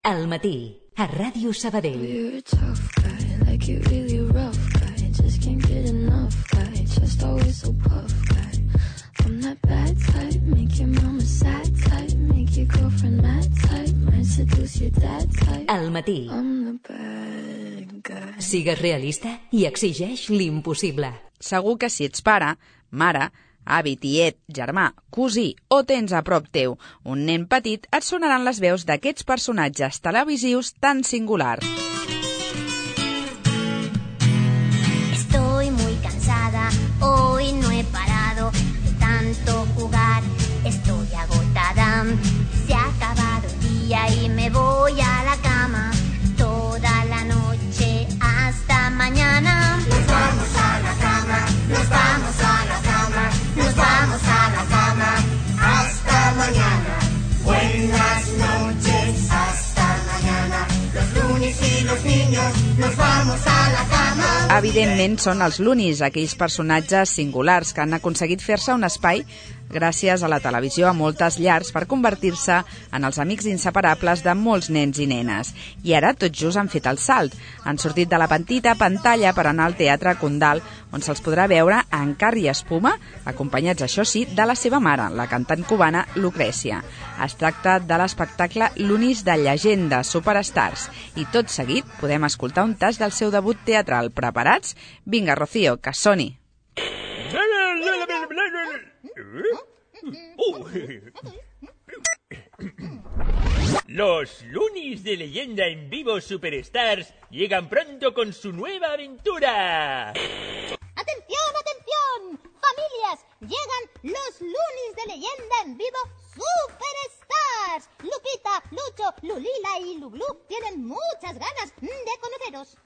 Al matí, a Ràdio Sabadell. You're a tough guy, like you really rough guy. Just can't get enough guy, just always so puff guy. I'm that bad type, make your mama sad type, make your girlfriend mad type, might seduce your dad type. Al matí. I'm the bad guy. Sigues realista i exigeix l'impossible. Segur que si ets pare, mare, avi, tiet, germà, cosí o tens a prop teu un nen petit, et sonaran les veus d'aquests personatges televisius tan singulars. Estoy muy cansada, hoy no he parado de tanto jugar, estoy agotada, se ha acabado el día y me voy a la cama, toda la noche hasta mañana. Nos vamos a la cama, nos vamos a la cama, nos vamos a la cama, hasta mañana. Buenas noches, hasta mañana. Los lunis y los niños, nos vamos a la cama. Evidentment són els Loonies, aquells personatges singulars que han aconseguit fer-se un espai gràcies a la televisió a moltes llars per convertir-se en els amics inseparables de molts nens i nenes. I ara tot just han fet el salt. Han sortit de la petita pantalla per anar al Teatre Condal, on se'ls podrà veure en carn i espuma, acompanyats, això sí, de la seva mare, la cantant cubana Lucrecia. Es tracta de l'espectacle Loonies de llegenda, Superstars. I tot seguit podem escoltar un tast del seu debut teatral. Preparats? Vinga, Rocío, que soni. Los Loonies de leyenda en vivo Superstars llegan pronto con su nueva aventura. ¡Atención, atención! ¡Familias! Llegan los Loonies de leyenda en vivo Superstars. Lupita, Lucho, Lulila y Luglu tienen muchas ganas de conoceros.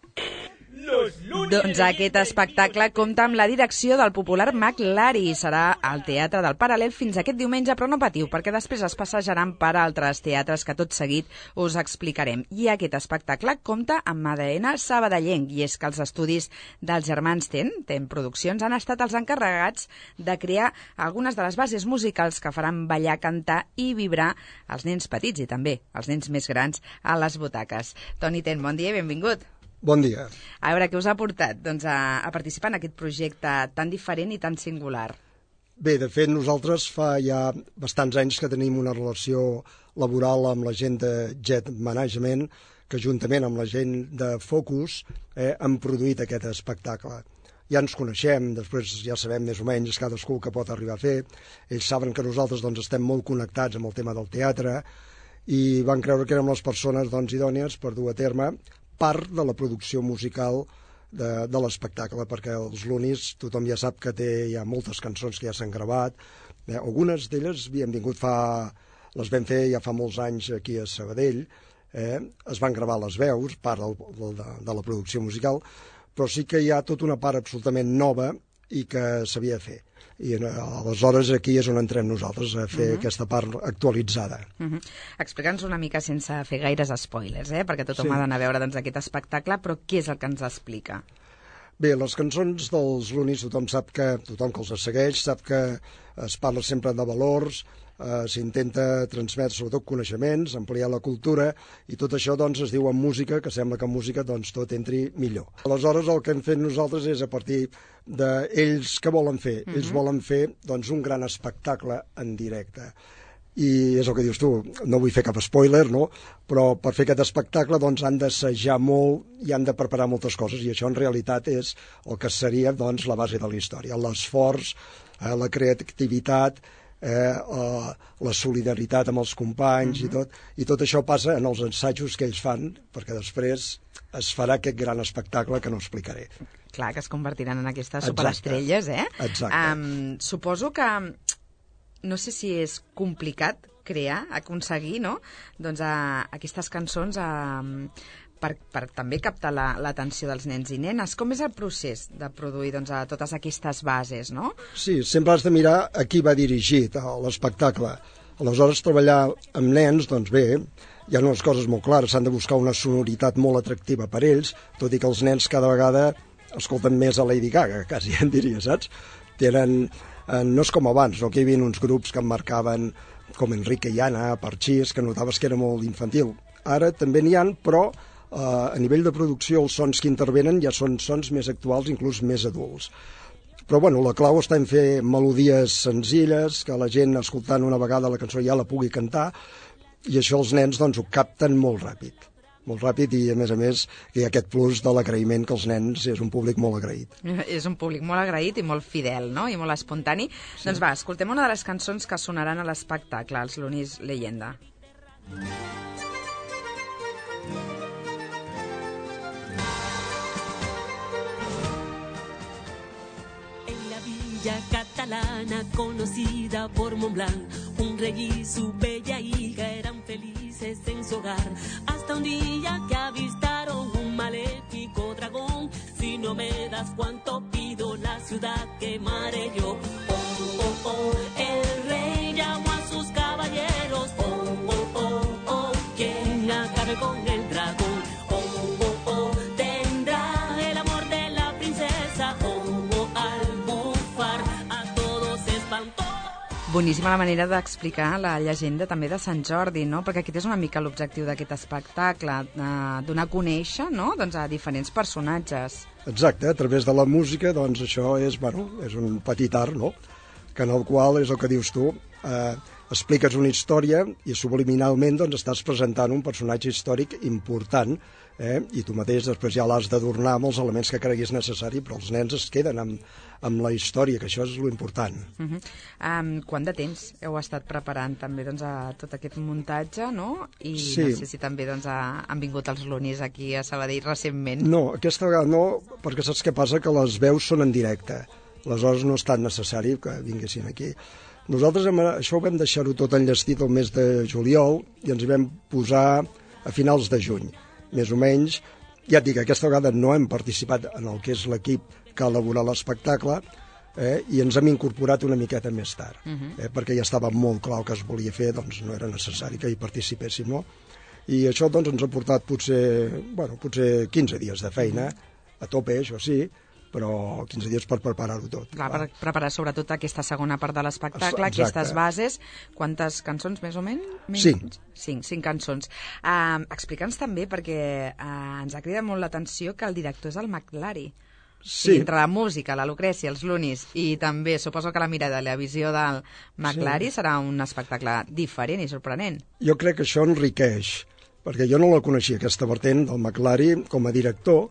Doncs aquest espectacle compta amb la direcció del popular Mag Lari i serà al Teatre del Paral·lel fins aquest diumenge, però no patiu, perquè després es passejaran per altres teatres que tot seguit us explicarem. I aquest espectacle compta amb ADN sabadellenc, i és que els estudis dels germans Ten Produccions, han estat els encarregats de crear algunes de les bases musicals que faran ballar, cantar i vibrar els nens petits i també els nens més grans a les butaques. Toni Ten, bon dia i benvingut. Bon dia. A veure, què us ha portat a participar en aquest projecte tan diferent i tan singular? Bé, de fet, nosaltres fa ja bastants anys que tenim una relació laboral amb la gent de Jet Management, que juntament amb la gent de Focus han produït aquest espectacle. Ja ens coneixem, després ja sabem més o menys cadascú que pot arribar a fer. Ells saben que nosaltres estem molt connectats amb el tema del teatre i van creure que érem les persones idònies per dur a terme part de la producció musical de l'espectacle, perquè els Loonies tothom ja sap que hi ha moltes cançons que ja s'han gravat. Algunes d'elles les vam fer ja fa molts anys aquí a Sabadell, es van gravar les veus, part de la producció musical, però sí que hi ha tota una part absolutament nova i que s'havia de fer. I aleshores aquí és on entrem nosaltres a fer aquesta part actualitzada. Explica'ns una mica sense fer gaires spoilers, perquè tothom ha d'anar a veure aquest espectacle, però què és el que ens explica? Bé, les cançons dels Loonies tothom que els segueix sap que es parla sempre de valors, s'intenta transmetre sobretot coneixements, ampliar la cultura, i tot això es diu en música, que sembla que en música tot entri millor. Aleshores el que hem fet nosaltres és a partir d'ells que volen fer. Ells volen fer un gran espectacle en directe. I és el que dius tu, no vull fer cap spoiler, no? Però per fer aquest espectacle han d'assajar molt i han de preparar moltes coses, i això en realitat és el que seria la base de la història, l'esforç, la creativitat, la solidaritat amb els companys i tot això passa en els assajos que ells fan, perquè després es farà aquest gran espectacle que no explicaré. Clar, que es convertiran en aquestes superestrelles, Exacte. Suposo que no sé si és complicat aconseguir, no? Aquestes cançons per també captar l'atenció dels nens i nenes. Com és el procés de produir totes aquestes bases, no? Sí, sempre has de mirar a qui va dirigit l'espectacle. Aleshores, treballar amb nens, bé, hi ha unes coses molt clares, s'han de buscar una sonoritat molt atractiva per ells, tot i que els nens cada vegada escolten més a Lady Gaga, quasi en diria, saps? No és com abans, no? Que hi havia uns grups que em marcaven com Enrique i Anna, Parchís, que notaves que era molt infantil. ara també n'hi ha, però a nivell de producció els sons que intervenen ja són sons més actuals, inclús més adults. Però bueno, la clau està en fer melodies senzilles, que la gent escoltant una vegada la cançó ja la pugui cantar, i això els nens doncs, ho capten molt ràpid i a més hi ha aquest plus de l'agraïment que els nens és un públic molt agraït. És un públic molt agraït i molt fidel, no? I molt espontani. Sí. Doncs va, escoltem una de les cançons que sonaran a l'espectacle, els Lunis Leyenda. Catalana conocida por Montblanc, un rey y su bella hija eran felices en su hogar, hasta un día que avistaron un maléfico dragón. Si no me das cuanto pido, la ciudad quemaré yo. Oh, oh, oh, el rey llamó a sus caballeros. Oh, oh, oh, oh, quien acabe con el dragón. Oh, oh, oh, tendrá el amor de la princesa. Oh, oh, al bufar a todos espantó. Boníssima la manera d'explicar la llegenda també de Sant Jordi, no? Perquè aquest és una mica l'objectiu d'aquest espectacle, donar a conèixer, no? Doncs a diferents personatges. Exacte, a través de la música, doncs això és, és un petit art, no? Que en el qual, és el que dius tu, expliques una història i subliminalment doncs, estàs presentant un personatge històric important, i tu mateix després ja l'has d'adornar amb els elements que creguis necessari, però els nens es queden amb la història, que això és l'important. Quant de temps heu estat preparant també doncs, a tot aquest muntatge, no? I sí. No sé si també doncs, han vingut els Lunis aquí a Sabadell recentment. No, aquesta vegada no, perquè saps què passa? Que les veus són en directe. Aleshores no és tan necessari que vinguessin aquí. Nosaltres això ho vam deixar-ho tot enllestit el mes de juliol i ens hi vam posar a finals de juny, més o menys. Ja et dic, aquesta vegada no hem participat en el que és l'equip que ha elaborat l'espectacle, i ens hem incorporat una miqueta més tard, perquè ja estava molt clar el que es volia fer, doncs no era necessari que hi participéssim, no? I això doncs, ens ha portat potser 15 dies de feina, a tope, això sí, però 15 dies per preparar-ho tot. Clar, per preparar sobretot aquesta segona part de l'espectacle, aquestes bases. Quantes cançons, més o menys? 5. 5 cançons. Explica'ns també, perquè ens ha cridat molt l'atenció que el director és el McLary. Sí. I entre la música, la Lucrècia, els Lunis i també suposo que la mirada i la visió del McLary serà un espectacle diferent i sorprenent. Jo crec que això enriqueix, perquè jo no la coneixia, aquesta vertent del McLary com a director,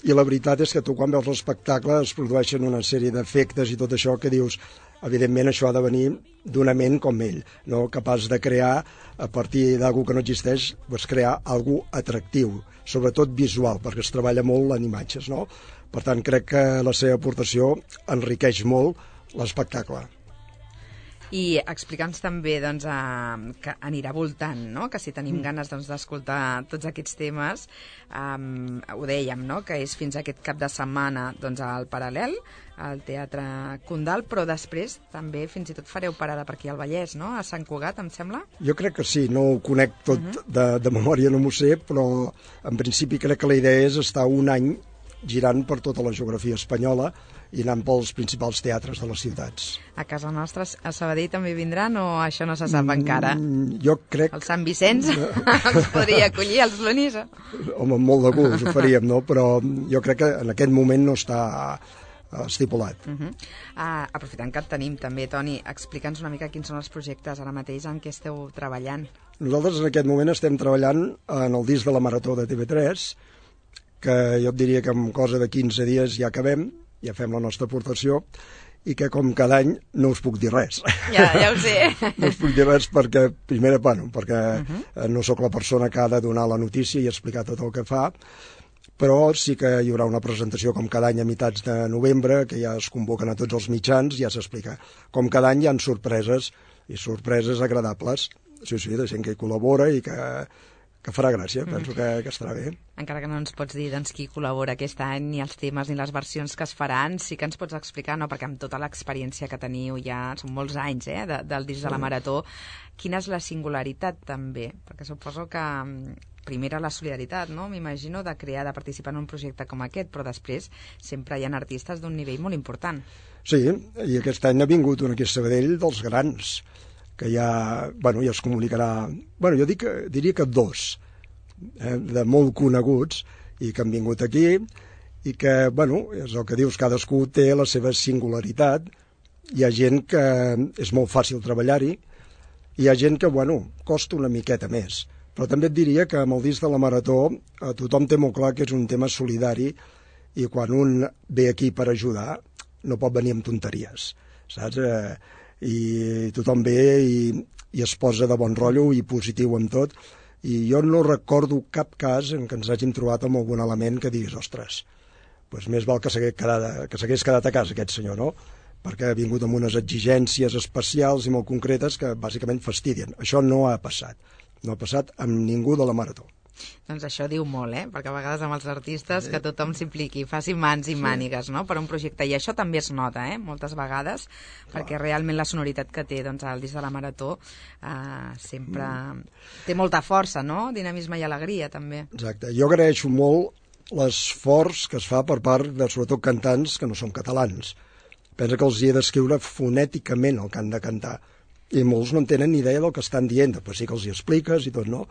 i la veritat és que tu quan veus l'espectacle es produeixen una sèrie d'efectes i tot això que dius, evidentment això ha de venir d'una ment com ell, no? Capaç de crear a partir d'algú que no existeix, doncs crear algú atractiu, sobretot visual, perquè es treballa molt en imatges, no? Per tant, crec que la seva aportació enriqueix molt l'espectacle. I explica'ns també doncs, que anirà voltant, no? Que si tenim ganes doncs, d'escoltar tots aquests temes, ho dèiem, no? Que és fins aquest cap de setmana doncs, al Paral·lel, al Teatre Condal, però després també fins i tot fareu parada per aquí al Vallès, no? A Sant Cugat, em sembla? Jo crec que sí, no ho conec tot de memòria, no m'ho sé, però en principi crec que la idea és estar un any girant per tota la geografia espanyola i anant pels principals teatres de les ciutats. A casa nostra, a Sabadell també vindran o això no se sap encara? Jo crec... El Sant Vicenç ens podria acollir, els Lunis? Home, amb molt de gust ho faríem, no? Però jo crec que en aquest moment no està estipulat. Aprofitant que et tenim també, Toni, explica'ns una mica quins són els projectes ara mateix en què esteu treballant. Nosaltres en aquest moment estem treballant en el disc de la Marató de TV3, que jo et diria que en cosa de 15 dies ja acabem, ja fem la nostra aportació, i que com cada any no us puc dir res. Ja ho sé. No us puc dir res perquè, primer, perquè no sóc la persona que ha de donar la notícia i explicar tot el que fa, però sí que hi haurà una presentació com cada any a meitats de novembre, que ja es convoquen a tots els mitjans, ja s'explica. Com cada any hi ha sorpreses, i sorpreses agradables, sí, de gent que hi col·labora i que farà gràcia, penso que estarà bé. Encara que no ens pots dir doncs, qui col·labora aquest any, ni els temes ni les versions que es faran, sí que ens pots explicar, no? Perquè amb tota l'experiència que teniu ja, són molts anys del disc de la Marató, quina és la singularitat també? Perquè suposo que primera la solidaritat, no? M'imagino de de participar en un projecte com aquest, però després sempre hi ha artistes d'un nivell molt important. Sí, i aquest any ha vingut un aquí a Sabadell dels grans, que ja es comunicarà... Jo diria que 2, de molt coneguts i que han vingut aquí i que, bueno, és el que dius, cadascú té la seva singularitat. Hi ha gent que és molt fàcil treballar-hi, hi ha gent que, bueno, costa una miqueta més. Però també et diria que amb el disc de la Marató tothom té molt clar que és un tema solidari i quan un ve aquí per ajudar no pot venir amb tonteries, saps? I tothom ve i es posa de bon rotllo i positiu en tot. I jo no recordo cap cas en què ens hàgim trobat amb algun element que diguis, ostres, doncs més val que s'hagués quedat a casa aquest senyor, no? Perquè ha vingut amb unes exigències especials i molt concretes que bàsicament fastidien. Això no ha passat. No ha passat amb ningú de la Marató. Doncs això diu molt, perquè a vegades amb els artistes que tothom s'impliqui, faci mans i mànigues, no?, per un projecte. I això també es nota, moltes vegades, perquè realment la sonoritat que té doncs, el disc de la Marató sempre té molta força, no?, dinamisme i alegria, també. Exacte. Jo agraeixo molt l'esforç que es fa per part de, sobretot, cantants que no són catalans. Pensa que els hi he d'escriure fonèticament el que han de cantar. I molts no en tenen ni idea del que estan dient. Després sí que els hi expliques i tot, no?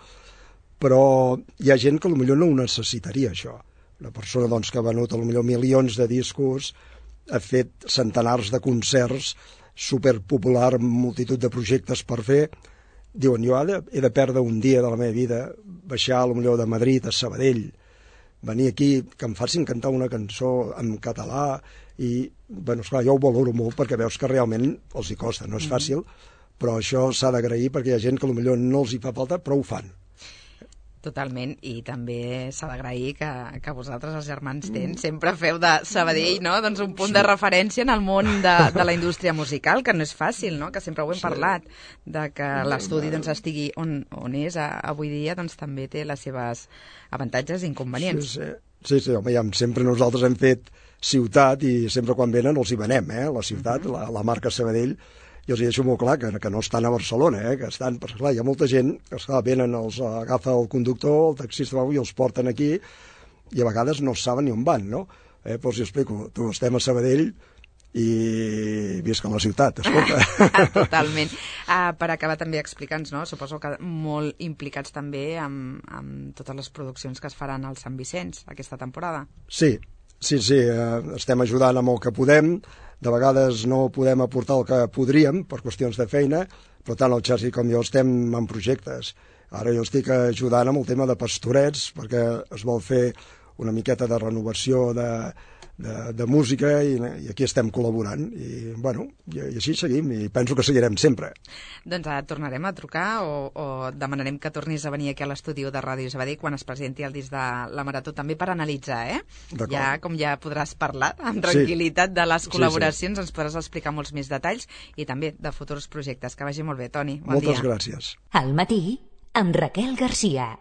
Però hi ha gent que potser no ho necessitaria, això. Una persona doncs, que ha venut potser milions de discos, ha fet centenars de concerts, superpopular, multitud de projectes per fer. Diuen, jo he de perdre un dia de la meva vida, baixar potser de Madrid a Sabadell, venir aquí, que em facin cantar una cançó en català, i, bueno, esclar, jo ho valoro molt perquè veus que realment els hi costa, no és fàcil, però això s'ha d'agrair perquè hi ha gent que potser no els hi fa falta, però ho fan. Totalment, i també s'ha d'agrair que vosaltres, els germans Tens, sempre feu de Sabadell, no?, doncs un punt de referència en el món de la indústria musical, que no és fàcil, no?, que sempre ho hem parlat, de que l'estudi doncs, estigui on és avui dia, doncs també té les seves avantatges i inconvenients. Sí, home, ja, sempre nosaltres hem fet ciutat i sempre quan venen els hi venem, la ciutat, la marca Sabadell. Jo els hi deixo molt clar que no estan a Barcelona, que estan, perquè clar, hi ha molta gent que venen, els agafa el conductor, el taxista i els porten aquí i a vegades no saben ni on van, no? Però els explico, estem a Sabadell i visca la ciutat, escolta. Totalment. Per acabar també explica'ns, no? Suposo que molt implicats també amb totes les produccions que es faran al Sant Vicenç aquesta temporada. Sí, estem ajudant amb el que podem. De vegades no podem aportar el que podríem per qüestions de feina, però tant el Xarxi com jo estem en projectes. Ara jo estic ajudant amb el tema de Pastorets, perquè es vol fer una miqueta de renovació de música i aquí estem col·laborant. I, bueno, i així seguim i penso que seguirem sempre. Doncs tornarem a trucar o demanarem que tornis a venir aquí a l'estudi de Ràdio Sabadell quan es presenti el disc de la Marató també per analitzar, Ja, com ja podràs parlar amb tranquil·litat de les col·laboracions, ens podràs explicar molts més detalls i també de futurs projectes. Que vagi molt bé, Toni. Bon dia. Moltes gràcies. Al matí, amb Raquel Garcia.